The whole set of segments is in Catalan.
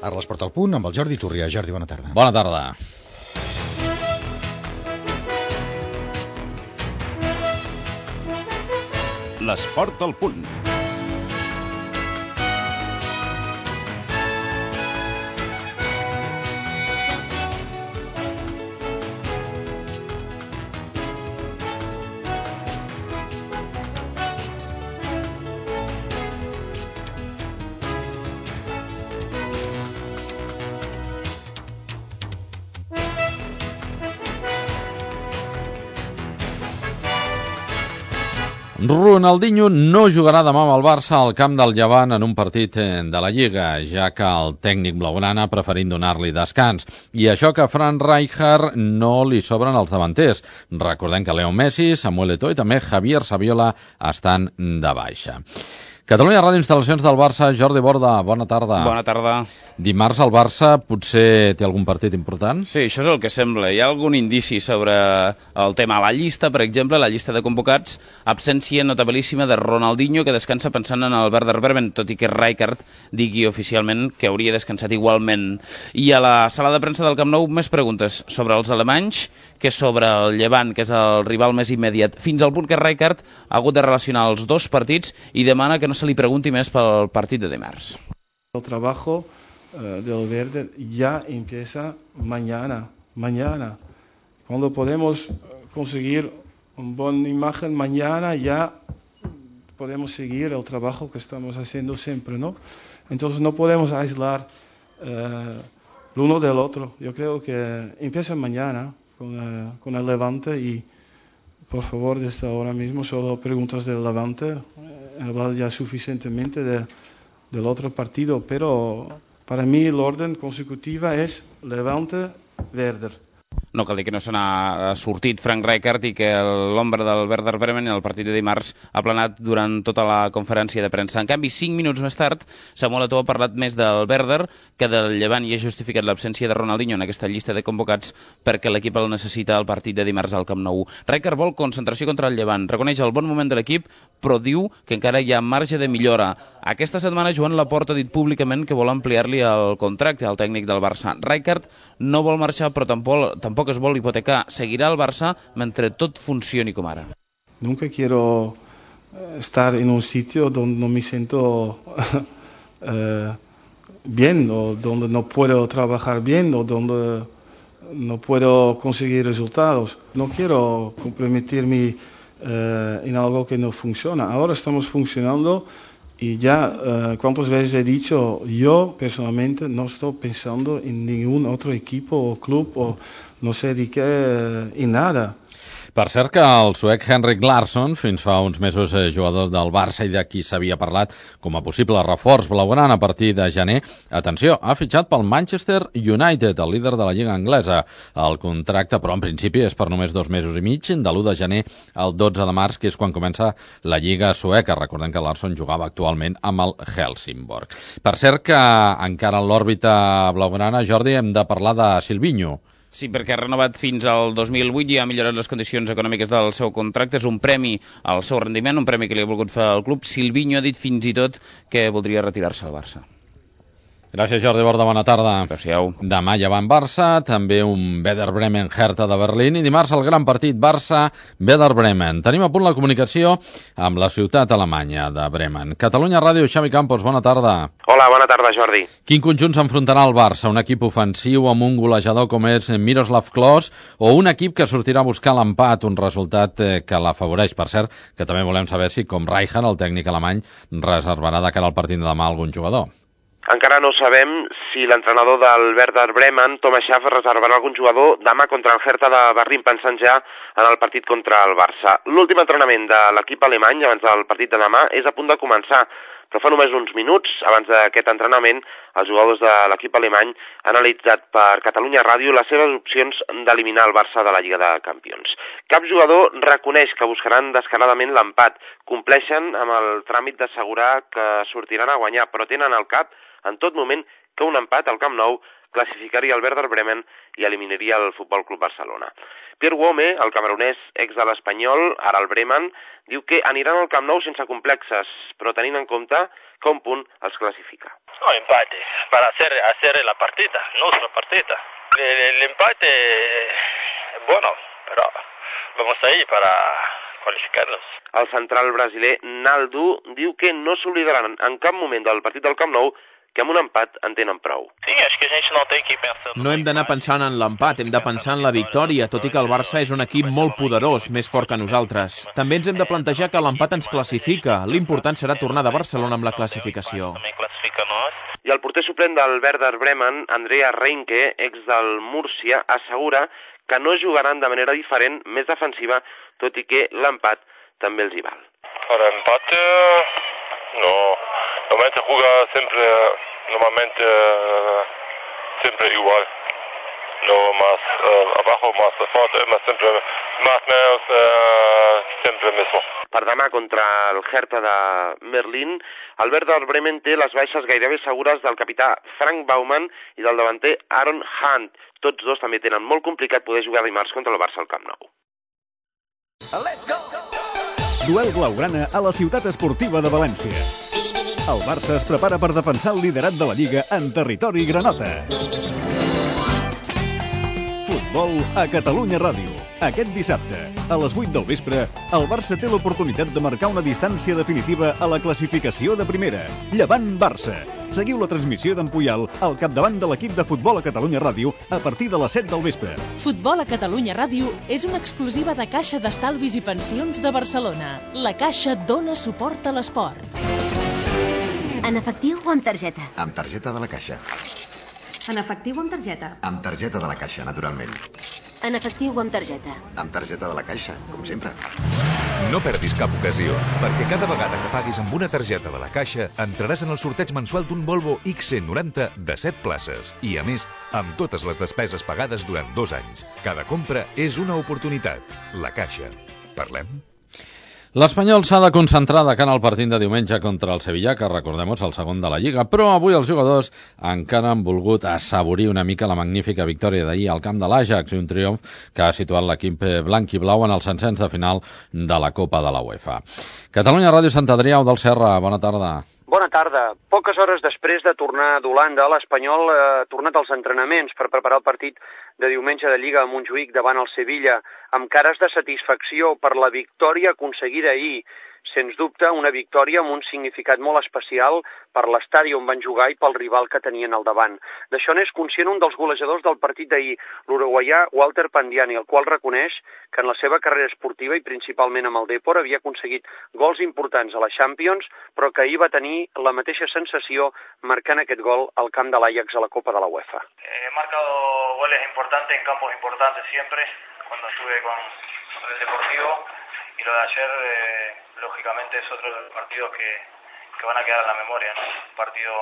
Ara l'Esport al Punt amb el Jordi Turria. Jordi, bona tarda. Bona tarda. L'Esport al Punt. Ronaldinho no jugarà demà amb el Barça al camp del Llevant en un partit de la Lliga, ja que el tècnic blaugrana ha preferit donar-li descans. I això que a Frank Rijkaard no li sobren els davanters. Recordem que Leo Messi, Samuel Eto'o i també Javier Saviola estan de baixa. Catalunya Ràdio, instal·lacions del Barça. Jordi Borda, bona tarda. Bona tarda. Dimarts el Barça potser té algun partit important? Sí, això és el que sembla. Hi ha algun indici sobre el tema. La llista, per exemple, la llista de convocats, absència notabilíssima de Ronaldinho, que descansa pensant en el Werder Bremen, tot i que Rijkaard digui oficialment que hauria descansat igualment. I a la sala de premsa del Camp Nou més preguntes sobre els alemanys que sobre el Llevant, que és el rival més immediat, fins al punt que Rijkaard ha hagut de relacionar els dos partits i demana que no se li pregunti més pel partit de dimarts. El trabajo del Werder ya empieza mañana. Cuando podemos conseguir una buena imagen mañana, ya podemos seguir el trabajo que estamos haciendo siempre, ¿no? Entonces no podemos aislar el uno del otro. Yo creo que empieza mañana con el Levante y por favor, desde ahora mismo solo preguntas del Levante. He hablado ya suficientemente del otro partido, pero para mí el orden consecutivo es Levante-Werder. No cal dir que no se n'ha sortit Frank Rijkaard i que l'ombra del Werder Bremen en el partit de dimarts ha planat durant tota la conferència de premsa. En canvi, 5 minuts més tard, Samuel Eto'o ha parlat més del Werder que del Llevant i ha justificat l'absència de Ronaldinho en aquesta llista de convocats perquè l'equip el necessita al partit de dimarts al Camp Nou. Rijkaard vol concentració contra el Llevant, reconeix el bon moment de l'equip, però diu que encara hi ha marge de millora. Aquesta setmana Joan Laporta ha dit públicament que vol ampliar-li el contracte al tècnic del Barça. Rijkaard no vol marxar, però tampoc es vol hipotecar. Seguirà al Barça mentre tot funcioni com ara. Nunca quiero estar en un sitio donde no me siento bien, o donde no puedo trabajar bien, o donde no puedo conseguir resultados. No quiero comprometerme en algo que no funciona. Ahora estamos funcionando. Y ya, ¿cuántas veces he dicho? Yo personalmente no estoy pensando en ningún otro equipo o club o no sé de qué, en nada. Per cert que el suec Henrik Larsson, fins fa uns mesos jugador del Barça i de qui s'havia parlat com a possible reforç blaugrana a partir de gener, atenció, ha fitxat pel Manchester United, el líder de la Lliga anglesa. El contracte, però en principi, és per només 2 mesos i mig, de l'1 de gener al 12 de març, que és quan comença la Lliga sueca. Recordem que Larsson jugava actualment amb el Helsingborg. Per cert que encara en l'òrbita blaugrana, Jordi, hem de parlar de Silvinho. Sí, perquè ha renovat fins al 2008 i ha millorat les condicions econòmiques del seu contracte. És un premi al seu rendiment, un premi que li ha volgut fer al club. Silvinho ha dit fins i tot que voldria retirar-se al Barça. Gràcies, Jordi Borda, bona tarda. Gràcies. Demà ja va en Barça, també un Werder Bremen-Hertha de Berlín i dimarts el gran partit Barça-Werder Bremen. Tenim a punt la comunicació amb la ciutat alemanya de Bremen. Catalunya Ràdio, Xavi Campos, bona tarda. Hola, bona tarda, Jordi. Quin conjunt s'enfrontarà al Barça? Un equip ofensiu amb un golejador com és Miroslav Klose o un equip que sortirà a buscar l'empat, un resultat que l'afavoreix? Per cert, que també volem saber si, com Rijkaard, el tècnic alemany, reservarà de cara al partit de demà algun jugador. Encara no sabem si l'entrenador del Werder Bremen, Thomas Schaaf, reservarà algun jugador demà contra el Hertha de Berlín, pensant ja en el partit contra el Barça. L'últim entrenament de l'equip alemany abans del partit de demà és a punt de començar, però fa només uns minuts abans d'aquest entrenament els jugadors de l'equip alemany han analitzat per Catalunya Ràdio les seves opcions d'eliminar el Barça de la Lliga de Campions. Cap jugador reconeix que buscaran descaradament l'empat, compleixen amb el tràmit d'assegurar que sortiran a guanyar, però tenen al cap en tot moment que un empat al Camp Nou classificaria el Werder Bremen i eliminaria el Futbol Club Barcelona. Pierre Wome, el camerunès ex de l'Espanyol, ara el Bremen, diu que aniran al Camp Nou sense complexes, però tenint en compte que un punt els classifica. No, empate, para hacer la partida, nuestra partida. El empate, bueno, pero vamos ahí para qualificarlos. El central brasiler Naldo diu que no s'oblidaran en cap moment del partit del Camp Nou, que amb un empat en tenen prou. Sí, és que a gente no té que pensar... No hem d'anar pensant en l'empat, hem de pensar en la victòria, tot i que el Barça és un equip molt poderós, més fort que nosaltres. També ens hem de plantejar que l'empat ens classifica. L'important serà tornar de Barcelona amb la classificació. I el porter suplent del Werder Bremen, Andrea Reinke, ex del Múrcia, assegura que no jugaran de manera diferent, més defensiva, tot i que l'empat també els hi val. Per empate, no. Normalmente juega siempre igual. No más abajo, más fuerte, siempre mismo. Per demà contra el Hertha de Berlín, el Werder Bremen té les baixes gairebé segures del capità Frank Baumann i del davanter Aaron Hunt. Tots dos també tenen molt complicat poder jugar dimarts contra el Barça al Camp Nou. Duel blaugrana a la ciutat esportiva de València. El Barça es prepara per defensar el liderat de la Lliga en territori granota. Futbol a Catalunya Ràdio. Aquest dissabte, a les 8 del vespre, el Barça té l'oportunitat de marcar una distància definitiva a la classificació de primera. Llevant-Barça. Seguiu la transmissió d'en Puyal al capdavant de l'equip de Futbol a Catalunya Ràdio a partir de les 7 del vespre. Futbol a Catalunya Ràdio és una exclusiva de Caixa d'Estalvis i Pensions de Barcelona. La Caixa dona suport a l'esport. En efectiu o amb targeta? Amb targeta de la Caixa. En efectiu o amb targeta? Amb targeta de la Caixa, naturalment. En efectiu o amb targeta? Amb targeta de la Caixa, com sempre. No perdis cap ocasió, perquè cada vegada que paguis amb una targeta de la Caixa entraràs en el sorteig mensual d'un Volvo XC90 de 7 places. I, a més, amb totes les despeses pagades durant 2 anys. Cada compra és una oportunitat. La Caixa. Parlem? L'Espanyol s'ha de concentrar de cara al partit de diumenge contra el Sevilla, que recordem-ho és el segon de la Lliga, però avui els jugadors encara han volgut assaborir una mica la magnífica victòria d'ahir al camp de l'Ajax, un triomf que ha situat l'equip blanc i blau en el ascens de final de la Copa de la UEFA. Catalunya Ràdio Sant Adrià del Serra, bona tarda. Bona tarda. Poques hores després de tornar d'Holanda, l'Espanyol ha tornat als entrenaments per preparar el partit de diumenge de Lliga a Montjuïc davant el Sevilla, amb cares de satisfacció per la victòria aconseguida ahir. Sens dubte, una victòria amb un significat molt especial per l'estadi on van jugar i pel rival que tenien al davant. D'això n'és conscient un dels golejadors del partit d'ahir, l'uruguaià Walter Pandiani, el qual reconeix que en la seva carrera esportiva i principalment amb el Depor havia aconseguit gols importants a la Champions, però que ahir va tenir la mateixa sensació marcant aquest gol al camp de l'Ajax a la Copa de la UEFA. He marcado goles importantes en campos importantes siempre, cuando estuve con el Deportivo, y lo de ayer, lógicamente, es otro de los partidos que van a quedar en la memoria, ¿no? Un partido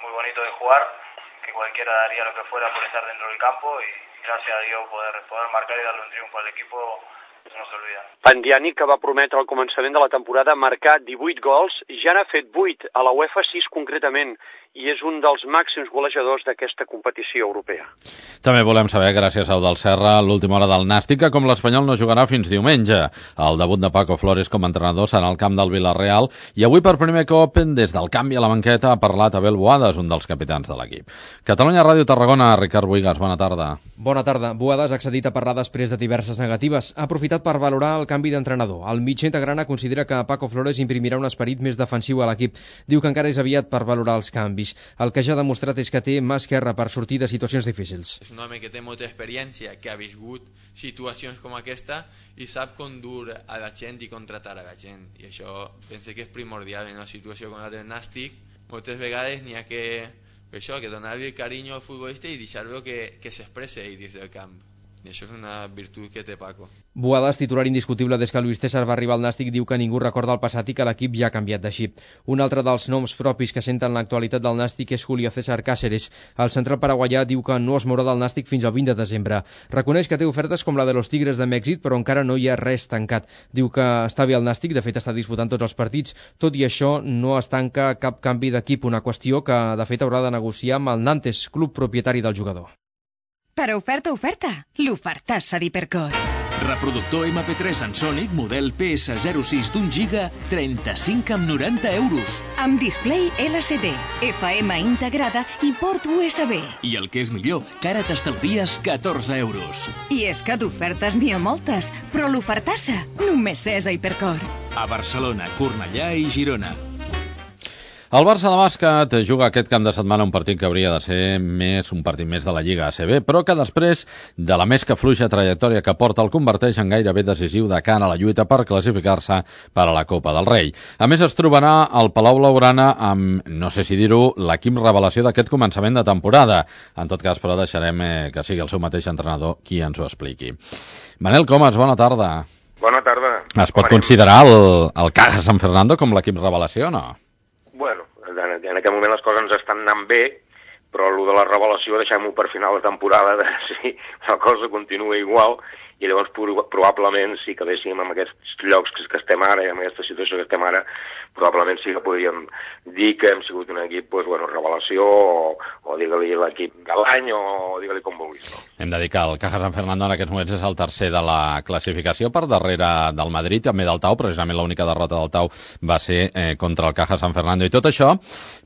muy bonito de jugar, que cualquiera daría lo que fuera por estar dentro del campo, y gracias a Dios poder marcar y darle un triunfo al equipo no s'oblida. Pandiani, que va prometre al començament de la temporada marcar 18 gols, ja n'ha fet 8, a la UEFA 6 concretament, i és un dels màxims golejadors d'aquesta competició europea. També volem saber, gràcies a Eudal Serra, l'última hora del Nàstic, que com l'Espanyol no jugarà fins diumenge. El debut de Paco Flores com a entrenador serà al camp del Villarreal, i avui per primer cop, des del canvi a la banqueta, ha parlat Abel Boades, un dels capitans de l'equip. Catalunya Ràdio Tarragona, Ricard Buigas, bona tarda. Bona tarda. Boades ha accedit a parlar després de diverses negatives. Ha aprofitat per valorar el canvi d'entrenador. El mitjà integrana considera que Paco Flores imprimirà un esperit més defensiu a l'equip. Diu que encara és aviat per valorar els canvis. El que ja ha demostrat és que té mà esquerra per sortir de situacions difícils. És un home que té molta experiència, que ha viscut situacions com aquesta i sap com dur a la gent i com tratar a la gent. I això penso que és primordial en una situació com la del Nàstic. Moltes vegades n'hi ha que donar-li el carinyo al futbolista i deixar-lo que s'expresse ell des del camp. I això és una virtut que té Paco. Boadas, titular indiscutible des que Luis César va arribar al Nàstic, diu que ningú recorda el passat i que l'equip ja ha canviat de xip. Un altre dels noms propis que senten l'actualitat del Nàstic és Julio César Cáceres. El central paraguaià diu que no es mourà del Nàstic fins al 20 de desembre. Reconeix que té ofertes com la de los Tigres de Mèxic, però encara no hi ha res tancat. Diu que està bé el Nàstic, de fet està disputant tots els partits. Tot i això, no es tanca cap canvi d'equip, una qüestió que de fet haurà de negociar amb el Nantes, club propietari del jugador. Per oferta, l'ofertassa d'Hipercor. Reproductor MP3 en Sonic, model PS06 d'1 giga, 35,90 €. Amb display LCD, FM integrada i port USB. I el que és millor, que ara t'estalvies 14 €. I és que d'ofertes n'hi ha moltes, però l'ofertassa només és a Hipercor. A Barcelona, Cornellà i Girona. El Barça de bàsquet juga aquest cap de setmana un partit que hauria de ser un partit més de la Lliga ACB, però que després de la més que fluixa trajectòria que porta el converteix en gairebé decisiu de cara a la lluita per classificar-se per a la Copa del Rei. A més, es trobarà al Palau Blaugrana amb, no sé si dir-ho, l'equip revelació d'aquest començament de temporada. En tot cas, però, deixarem que sigui el seu mateix entrenador qui ens ho expliqui. Manel Comas, bona tarda. Bona tarda. Es pot considerar el Caja San Fernando com l'equip revelació o no? Bueno, en aquest moment les coses ens estan anant bé, però el de la revelació deixem-ho per final de temporada, si la cosa continua igual, i llavors probablement sí que véssim en aquests llocs que estem ara, i en aquesta situació que estem ara, probablement sí que podríem dir que hem sigut un equip, doncs, bueno, revelació, o digue-li l'equip de l'any, o digue-li com vulguis. No? Hem de dir que el Caja San Fernando en aquests moments és el tercer de la classificació per darrere del Madrid, també del Tau, precisament l'única derrota del Tau va ser contra el Caja San Fernando. I tot això,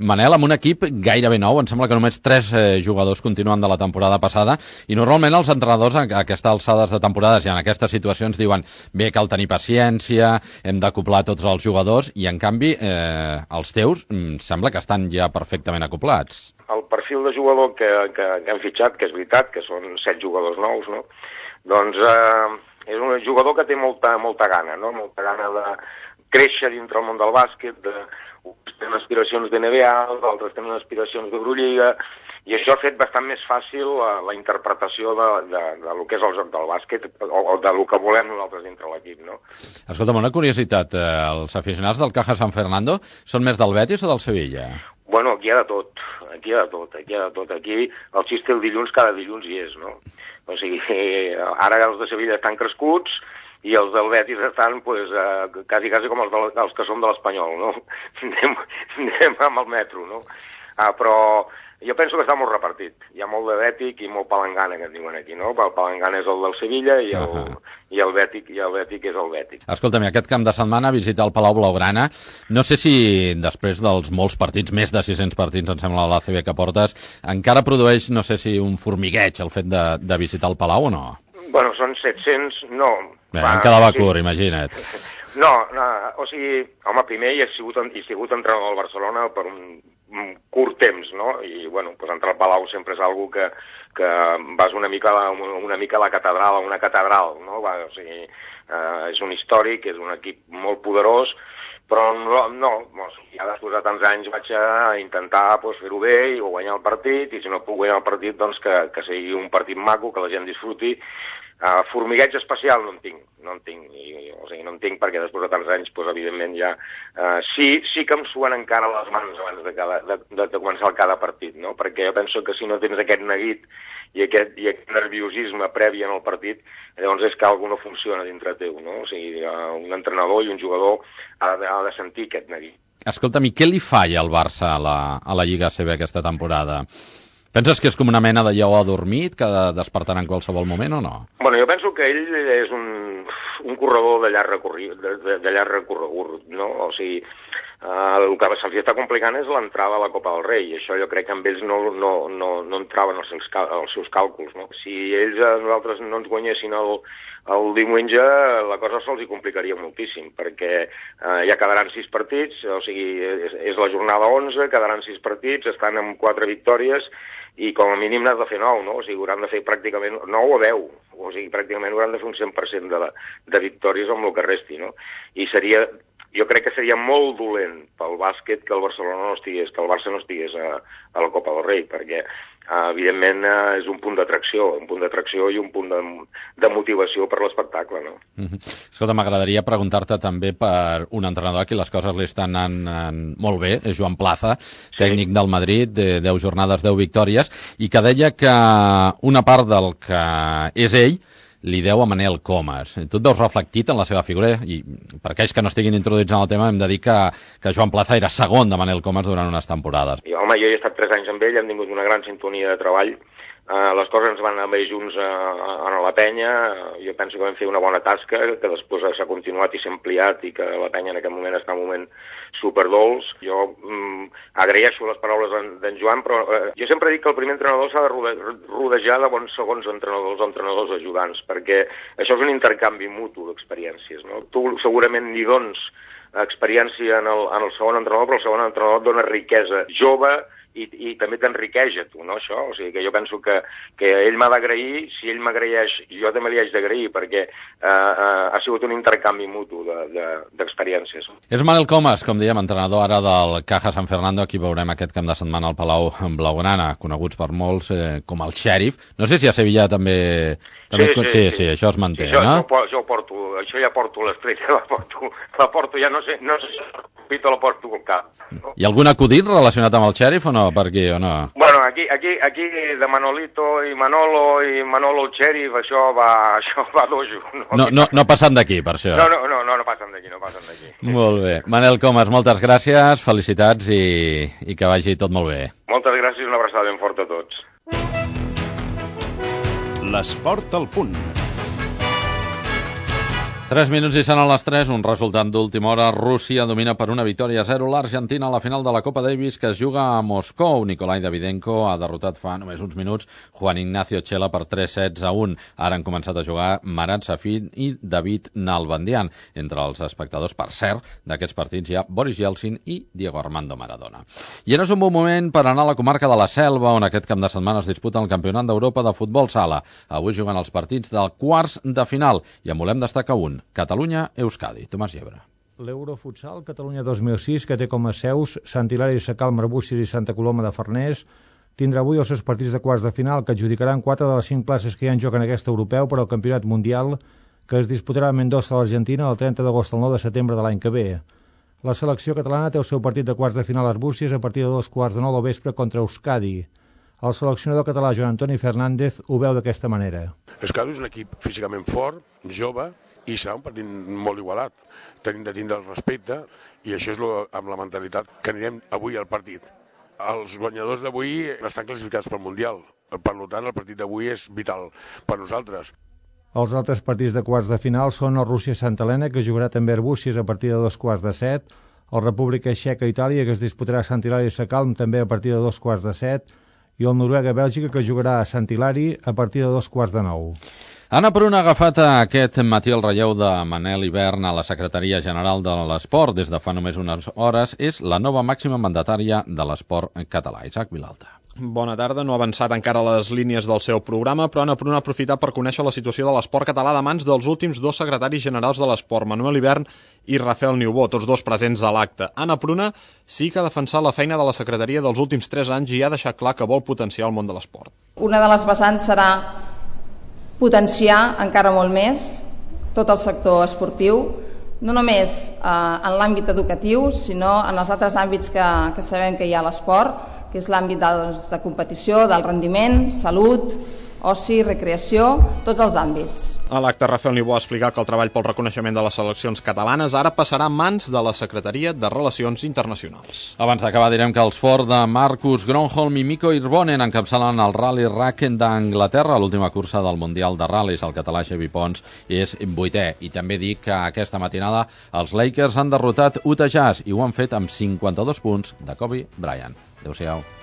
Manel, amb un equip gairebé nou, em sembla que només 3 jugadors continuen de la temporada passada, i normalment els entrenadors a aquestes alçades de temporades i en aquestes situacions diuen bé, cal tenir paciència, hem d'acoplar tots els jugadors, i en canvi els teus sembla que estan ja perfectament acoplats. El perfil de jugador que hem fitxat, que és veritat, que són 7 jugadors nous, no? Doncs és un jugador que té molta gana, no? Molta gana de créixer dintre el món del bàsquet, uns tenen aspiracions de NBA, d'altres tenen aspiracions d'Eurolliga, i això ha fet bastant més fàcil la interpretació de lo que és el joc del bàsquet o de lo que volem nosaltres dintre l'equip, no? Escolta'm, una curiositat, els aficionats del Caja San Fernando són més del Betis o del Sevilla? Bueno, aquí hi ha de tot. Aquí el xiste el dilluns, cada dilluns hi és, no? O sigui, ara els de Sevilla estan crescuts i els del Betis estan, pues, quasi com els que som de l'Espanyol, no? Anem amb el metro, no? Però jo penso que està molt repartit. Hi ha molt de Bètic i molt palangana, que en diuen aquí, no? El palangana és el del Sevilla i el Bètic és el Bètic. Escolta'm, aquest camp de setmana visita el Palau Blaugrana. No sé si després dels molts partits, més de 600 partits, em sembla, a l'ACB que portes, encara produeix, no sé si un formigueig el fet de visitar el Palau o no? Bueno, són 700, no. Bé, em quedava curt, imagina't. No, o sigui, home, primer he sigut entrenador del Barcelona per un curt temps, no? I, bueno, pues entrar al Palau sempre és algo que vas una mica a la catedral, a una catedral, no? O sigui, és un històric, és un equip molt poderós, però ja després de tants anys vaig a intentar fer-ho bé i guanyar el partit, i si no puc guanyar el partit, doncs que sigui un partit maco, que la gent disfruti. Formigueig especial no en tinc, o sigui, no en tinc perquè després de tants anys, doncs, evidentment, ja sí que em suen encara les mans abans de començar cada partit, no? Perquè jo penso que si no tens aquest neguit i aquest nerviosisme previ en el partit, llavors és que alguna no funciona dintre teu, no? O sigui, un entrenador i un jugador ha de sentir aquest neguit. Escolta'm, i què li falla al Barça a la Lliga ACB aquesta temporada? Penses que és com una mena de lleó adormit que despertarà en qualsevol moment o no? Bueno, jo penso que ell és un corredor de llarg recorregut, no? O sigui, el que se'ls està complicant és l'entrada a la Copa del Rei, i això jo crec que amb ells no entraven els seus càlculs, no? Si ells a nosaltres no ens guanyessin el diumenge, la cosa se'ls complicaria moltíssim, perquè ja quedaran 6 partits, o sigui, és la jornada 11, quedaran 6 partits, estan amb 4 victòries, i com a mínim n'has de fer 9, no? O sigui, hauran de fer pràcticament 9 o 10, o sigui, pràcticament hauran de fer un 100% de victòries amb el que resti, no? I seria jo crec que seria molt dolent pel bàsquet que el Barcelona no estigués, que el Barça no estigués a la Copa del Rei, perquè evidentment és un punt d'atracció i un punt de motivació per l'espectacle, no? Escolta, m'agradaria preguntar-te també per un entrenador a qui les coses li estan anant molt bé, és Joan Plaza, tècnic del Madrid, de 10 jornades, 10 victòries, i que deia que una part del que és ell li deu a Manel Comas. Tu et veus reflectit en la seva figura? I per aquells que no estiguin introduïts en el tema hem de dir que Joan Plaza era segon de Manel Comas durant unes temporades. Jo he estat 3 anys amb ell, hem tingut una gran sintonia de treball. Les coses ens van anar bé junts a la penya. Jo penso que vam fer una bona tasca, que després s'ha continuat i s'ha ampliat i que la penya en aquest moment està en un moment superdolç. Jo agraeixo les paraules d'en Joan, però jo sempre dic que el primer entrenador s'ha de rodejar de bons segons entrenadors o entrenadors ajudants, perquè això és un intercanvi mutu d'experiències, no? Tu segurament ni dones experiència en el segon entrenador, però el segon entrenador et dona riquesa jove i també t'enriqueix a tu, no, això? O sigui que jo penso que ell m'ha d'agrair, si ell m'agraeix, jo també li haig d'agrair, perquè ha sigut un intercanvi mutu d'experiències. És Manel Comas, com dèiem, entrenador ara del Caja San Fernando, aquí veurem aquest cap de setmana al Palau Blaugrana, coneguts per molts com el xèrif. No sé si a Sevilla també... Sí, això es manté, no? Jo porto, això ja porto l'estrella, la porto, ja no sé si la porto al cap. Hi ha algun acudit relacionat amb el xèrif o no, per aquí, o no? Bueno, aquí de Manolito i Manolo xèrif, això va dojo. No passen d'aquí, per això. No passen d'aquí. Molt bé. Manel Comas, moltes gràcies, felicitats i que vagi tot molt bé. Moltes gràcies i una abraçada ben forta a tots. L'esport al punt. 3 minuts i seran les 3, un resultat d'última hora. Rússia domina per 1-0 l'Argentina a la final de la Copa Davis que es juga a Moscou. Nikolai Davydenko ha derrotat fa només uns minuts Juan Ignacio Chela per 3-1. Ara han començat a jugar Marat Safin i David Nalbandian. Entre els espectadors, per cert, d'aquests partits hi ha Boris Yeltsin i Diego Armando Maradona. I ara és un bon moment per anar a la comarca de la Selva, on aquest cap de setmana es disputa el Campionat d'Europa de futbol sala. Avui juguen els partits del quarts de final i en volem destacar un. Catalunya-Euskadi. Tomàs Llebre. L'Eurofutsal Catalunya 2006, que té com a seus Sant Hilari Sacalm, Arbúcies i Santa Coloma de Farners, tindrà avui els seus partits de quarts de final, que adjudicaran 4 de les 5 places que hi ha en joc en aquest europeu per al Campionat Mundial, que es disputarà a Mendoza, a l'Argentina, el 30 d'agost al 9 de setembre de l'any que ve. La selecció catalana té el seu partit de quarts de final a Arbúcies a partir de 2:15 del vespre contra Euskadi. El seleccionador català Joan Antoni Fernández ho veu d'aquesta manera. Euskadi és un equip físicament fort, jove, i serà un partit molt igualat. Tenim de tindre el respecte i això és amb la mentalitat que anirem avui al partit. Els guanyadors d'avui estan classificats pel Mundial. Per tant, el partit d'avui és vital per nosaltres. Els altres partits de quarts de final són el Rússia-Santa Helena, que jugarà també a Arbúcies a partir de 2:15, el República Txeca-Itàlia, que es disputarà a Sant Hilari Sacalm també a partir de 2:15, i el Noruega-Bèlgica, que jugarà a Sant Hilari a partir de 2:15. Anna Pruna ha agafat aquest matí el relleu de Manel Ibern a la Secretaria General de l'Esport des de fa només unes hores. És la nova màxima mandatària de l'esport català. Isaac Vilalta. Bona tarda. No ha avançat encara les línies del seu programa, però Anna Pruna ha aprofitat per conèixer la situació de l'esport català de mans dels últims 2 secretaris generals de l'esport, Manuel Ibern i Rafael Niubó, tots 2 presents a l'acte. Anna Pruna sí que ha defensat la feina de la secretaria dels últims 3 anys i ha deixat clar que vol potenciar el món de l'esport. Una de les vessants serà potenciar encara molt més tot el sector esportiu, no només en l'àmbit educatiu, sinó en els altres àmbits que sabem que hi ha a l'esport, que és l'àmbit de competició, del rendiment, salut, oci, recreació, tots els àmbits. A l'acte, Rafael Niubó ha explicat que el treball pel reconeixement de les seleccions catalanes ara passarà a mans de la Secretaria de Relacions Internacionals. Abans d'acabar direm que els Ford de Marcus Gronholm i Mikko Hirvonen encapçalen el Rally Rack d'Anglaterra, l'última cursa del Mundial de Ral·lis. El català Xavi Pons és 8è. I també dic que aquesta matinada els Lakers han derrotat Utah Jazz i ho han fet amb 52 punts de Kobe Bryant. Adéu-siau.